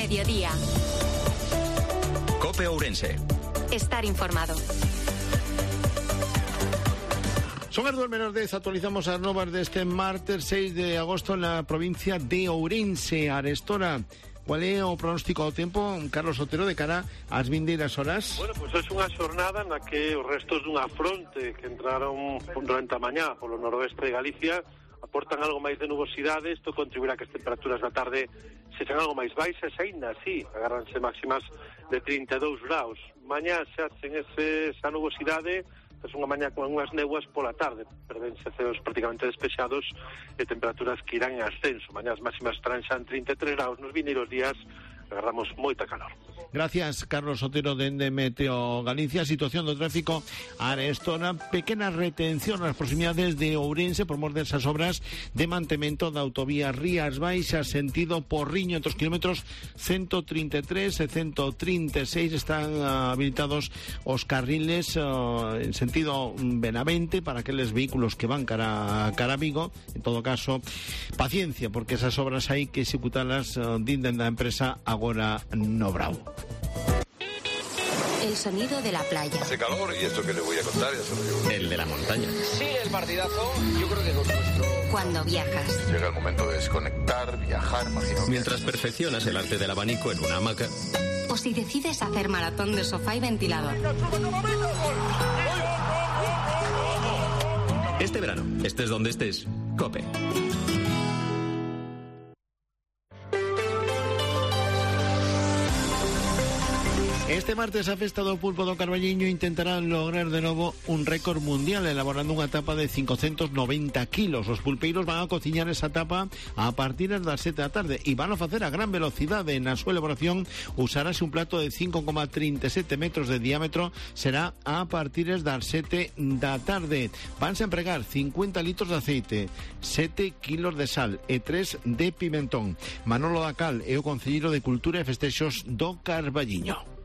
mediodía. COPE Ourense. Estar informado. Son as 2:10, actualizamos as novas deste martes 6 de agosto en la provincia de Ourense, Arestora. Cual é o pronóstico do tempo, Carlos Otero, de cara ás vindeiras horas? Bueno, pois é unha xornada na que os restos dunha fronte que entraron durante a mañá polo noroeste de Galicia aportan algo máis de nubosidade. Isto contribuirá que as temperaturas da tarde sexan algo máis baixas, aínda así agárranse máximas de 32 graus. Mañá xa sen esa nubosidade, é unha mañá con unhas néboas pola tarde, perdense ceos prácticamente despexados e temperaturas que irán en ascenso. Mañá as máximas estarán xa en 33 graus. Nos vindeiros días agarramos moita calor. Gracias, Carlos Otero, dende Meteo Galicia. Situación do tráfico Arestora, pequena retención nas proximidades de Ourense por mor desas obras de mantemento da autovía Rías Baixas sentido Porriño, entre os kilómetros 133 e 136 están habilitados os carriles en sentido Benavente para aqueles vehículos que van cara a Vigo. En todo caso, paciencia, porque esas obras hai que executalas dinden da empresa Agora no Bravo. El sonido de la playa. Hace calor y esto que le voy a contar ya se lo digo. El de la montaña. Sí, el partidazo, yo creo que con nuestro... Cuando viajas. Llega el momento de desconectar, viajar, imagino. Mientras perfeccionas el arte del abanico en una hamaca. O si decides hacer maratón de sofá y ventilador. Este verano, estés donde estés, COPE. Este martes a festa do pulpo do Carballiño intentará lograr de novo un récord mundial elaborando unha tapa de 590 kilos. Os pulpeiros van a cociñar esa tapa a partir das 7 da tarde e van a facer a gran velocidade. Na súa elaboración usarase un plato de 5,37 metros de diámetro, será a partir das 7 da tarde. Vanse a empregar 50 litros de aceite, 7 kilos de sal e 3 de pimentón. Manolo Dacal é o concelleiro de Cultura e Festexos do Carballiño.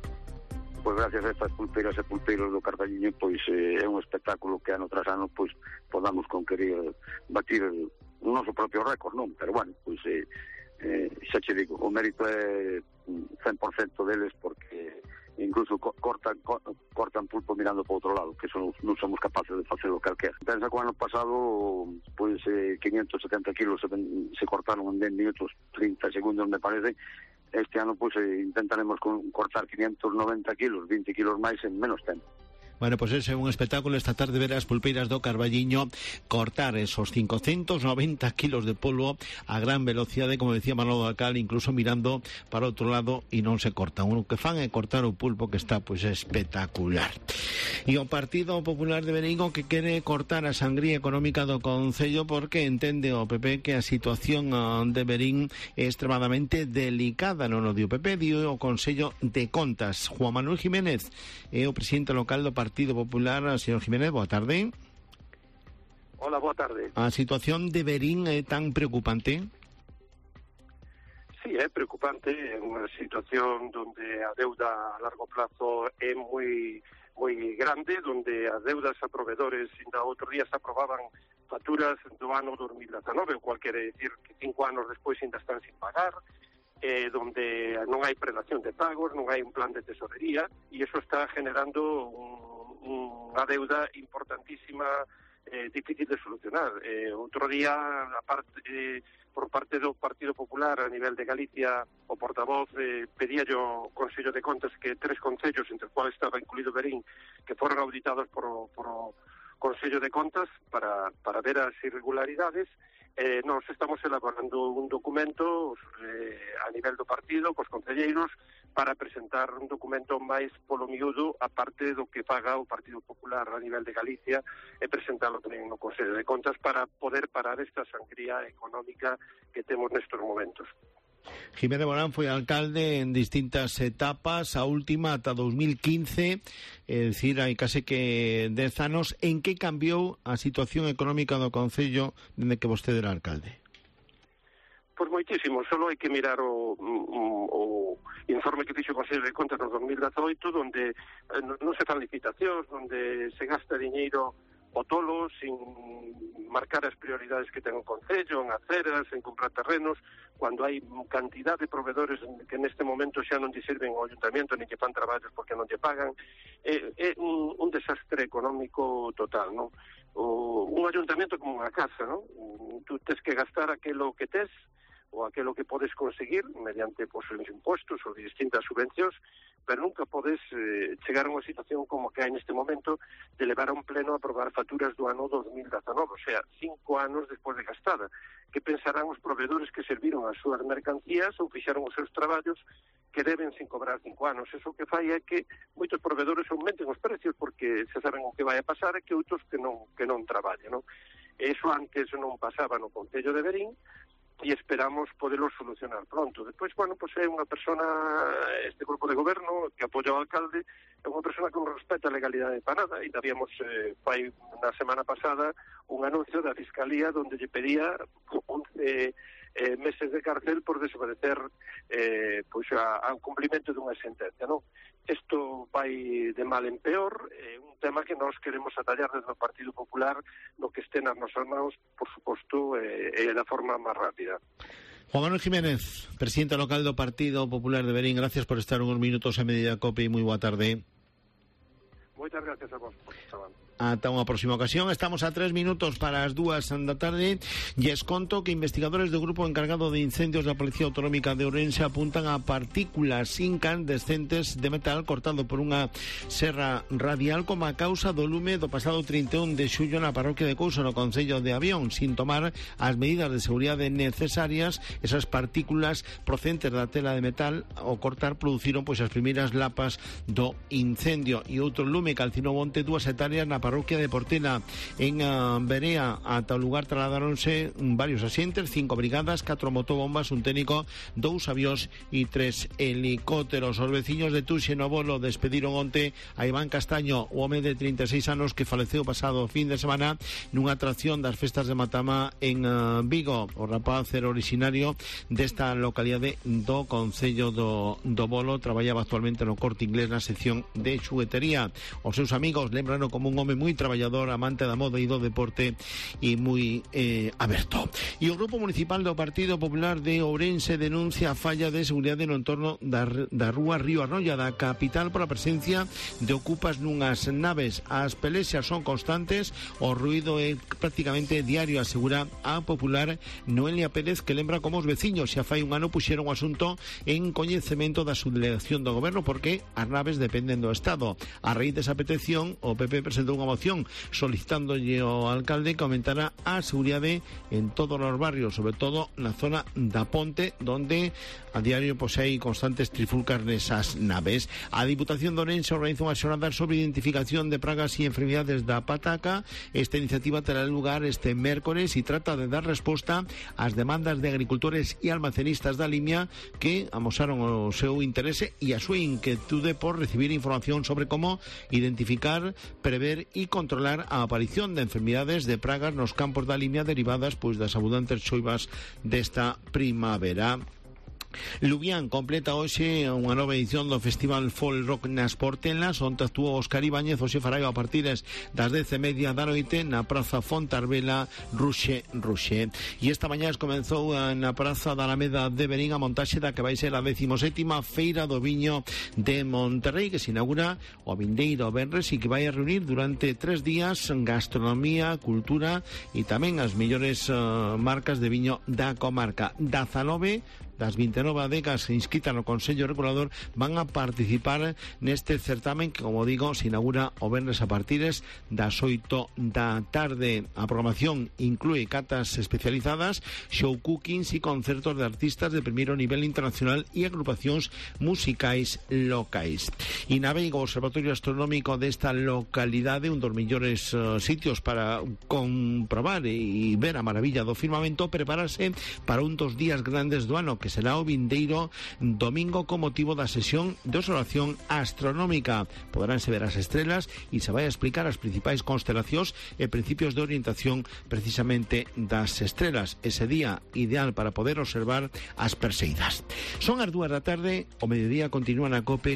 Pois gracias a estas pulpeiras e pulpeiros do Carballiño, pois é un espectáculo que ano tras ano pois podamos conquerir, batir o noso propio récord, non? Pero bueno, pois xa che digo, o mérito é 100% deles, porque incluso cortan pulpo mirando para outro lado, que non somos capaces de facer o calquera. Pensa que o ano pasado pois 570 kilos se cortaron en 10 minutos 30 segundos, me parece. Este ano pois intentaremos cortar 590 kilos, 20 kilos máis en menos tempo. Bueno, pois ese é un espectáculo esta tarde ver as pulpeiras do Carballiño cortar esos 590 kilos de polvo a gran velocidade, como decía Manolo Dacal, incluso mirando para outro lado e non se cortan. O que fan é cortar o pulpo, que está pois espectacular. E o Partido Popular de Berigo que quere cortar a sangría económica do Concello porque entende o PP que a situación de Berín é extremadamente delicada. Non o dio o PP, dio o Consello de Contas. Juan Manuel Jiménez é o presidente local do Partido Popular. Señor Jiménez, boa tarde. Hola, boa tarde. A situación de Berín é tan preocupante? Sí, é preocupante. É unha situación donde a deuda a largo plazo é moi grande, donde as deudas a proveedores, ainda outro día se aprobaban facturas do ano 2019, o cual quere decir que 5 anos despois ainda están sin pagar, donde non hai prelación de pagos, non hai un plan de tesorería, e iso está generando unha deuda importantísima, difícil de solucionar. Outro día, por parte do Partido Popular a nivel de Galicia, o portavoz pedía ao Consello de Contas que 3 concellos, entre os cuales estaba incluído Berín, que foron auditados por o Consello de Contas para ver as irregularidades. Nos estamos elaborando un documento a nivel do partido, cos concelleiros, para presentar un documento máis polo miúdo, a parte do que paga o Partido Popular a nivel de Galicia, e presentarlo tamén no Consello de Contas para poder parar esta sangría económica que temos nestes momentos. Jiménez Morán foi alcalde en distintas etapas, a última ata 2015, é dicir, hai case que 10 anos. En que cambiou a situación económica do Concello dende que vostede era alcalde? Pois moitísimo, só hai que mirar o informe que fixo o Consello de Contas no 2018, onde non se fan licitacións, onde se gasta diñeiro o tolo, sin marcar as prioridades que ten o Concello, en aceras, en comprar terrenos, cando hai cantidad de proveedores que neste momento xa non lle sirven ao Ayuntamiento, nin lle fan traballos porque non lle pagan. É un desastre económico total, non? Un ayuntamiento como unha casa, non? Tú tes que gastar aquilo que tes, ou aquilo que podes conseguir mediante os impostos ou distintas subvencións, pero nunca podes chegar a unha situación como que hai neste momento de levar a un pleno a aprobar facturas do ano 2019, o sea, 5 anos despois de gastada. Que pensarán os proveedores que serviron as súas mercancías ou fixaron os seus traballos que deben sin cobrar 5 anos? Eso que fai é que moitos proveedores aumenten os precios porque se saben o que vai a pasar e que outros que non traballen, non? Eso antes non pasaba no Concello de Verín, e esperamos poderlo solucionar pronto. Despois, bueno, pues é unha persona, este grupo de goberno que apoia ao alcalde, é unha persona que non respeta a legalidade para nada, e habíamos, fai na semana pasada, un anuncio da Fiscalía onde lle pedía 11 meses de cárcel por desobedecer ao cumplimento dunha sentencia, non? Isto vai de mal en peor, un tema que nós queremos atallar desde o Partido Popular, no que estén nas nosas mãos, por suposto, da forma máis rápida. Juan Manuel Jiménez, presidente local do Partido Popular de Verín, gracias por estar unos minutos en Mediodía Cope e moi boa tarde. Moitas gracias a vos por estar. Ata unha próxima ocasión. Estamos a 3 minutos para as 2 da tarde e es conto que investigadores do grupo encargado de incendios da Policía Autonómica de Ourense apuntan a partículas incandescentes de metal cortado por unha serra radial como a causa do lume do pasado 31 de xullo na parroquia de Couso, no concello de Avión. Sin tomar as medidas de seguridade necesarias, esas partículas procedentes da tela de metal ao cortar produciron as primeiras lapas do incendio. E outro lume calcinou onte 2 hectáreas na parroquia de Portela. En Berea, ata o lugar trasladaronse varios asientes, 5 brigadas, 4 motobombas, un técnico, 2 avións e 3 helicópteros. Os veciños de Tuxe no Bolo despediron onte a Iván Castaño, o home de 36 anos que faleceu pasado fin de semana nunha atracción das festas de Matamá en Vigo. O rapaz era originario desta localidade do concello do Bolo, traballaba actualmente no Corte Inglés na sección de xuguetería. Os seus amigos lembrano como un home moi traballador, amante da moda e do deporte e moi aberto. E o Grupo Municipal do Partido Popular de Ourense denuncia a falla de seguridade no entorno da rúa Río Arrolla da capital pola presencia de ocupas nunhas naves. As pelexas son constantes, o ruído é prácticamente diario, asegura a popular Noelia Pérez, que lembra como os veciños xa fai un ano puxeron o asunto en coñecemento da subdelegación do goberno porque as naves dependen do Estado. A raíz desa petición, o PP presentou unha moción solicitándolle ao alcalde que aumentara a seguridade en todos os barrios, sobre todo na zona da Ponte, donde a diario hai constantes trifulcas nesas naves. A Diputación de Ourense organiza unha xornada sobre identificación de pragas e enfermidades da pataca. Esta iniciativa terá lugar este mércores e trata de dar resposta ás demandas de agricultores e almacenistas da Limia que amosaron o seu interese e a súa inquietude por recibir información sobre como identificar, prever e controlar a aparición de enfermidades de pragas nos campos da Limia derivadas das abundantes choivas desta primavera. Lubián completa hoxe unha nova edición do Festival Folk Rock nas Portelas, onde actuou Óscar Ibáñez. Hoxe fará a partir das 10:30 da noite na Praza Fontarbela Ruxe. E esta mañá comenzou na Praza da Alameda de Verín a montaxe da que vai ser a 17ª Feira do Viño de Monterrey, que se inaugura o vindeiro venres e que vai a reunir durante 3 días gastronomía, cultura e tamén as mellores marcas de viño da comarca. 19 das 29 adegas inscritas no Consello Regulador van a participar neste certamen que, como digo, se inaugura o venres a partir das 8 da tarde. A programación inclúe catas especializadas, show cookings e concertos de artistas de primeiro nivel internacional e agrupacións musicais locais. E na Veiga, o Observatorio Astronómico desta localidade, un dos mellores sitios para comprobar e ver a maravilla do firmamento, prepararse para un dos días grandes do ano, que será o vindeiro domingo con motivo da sesión de observación astronómica. Poderánse ver as estrelas e se vai a explicar as principais constelacións e principios de orientación precisamente das estrelas. Ese día ideal para poder observar as Perseidas. Son as 2 da tarde, o mediodía continúa na COPE.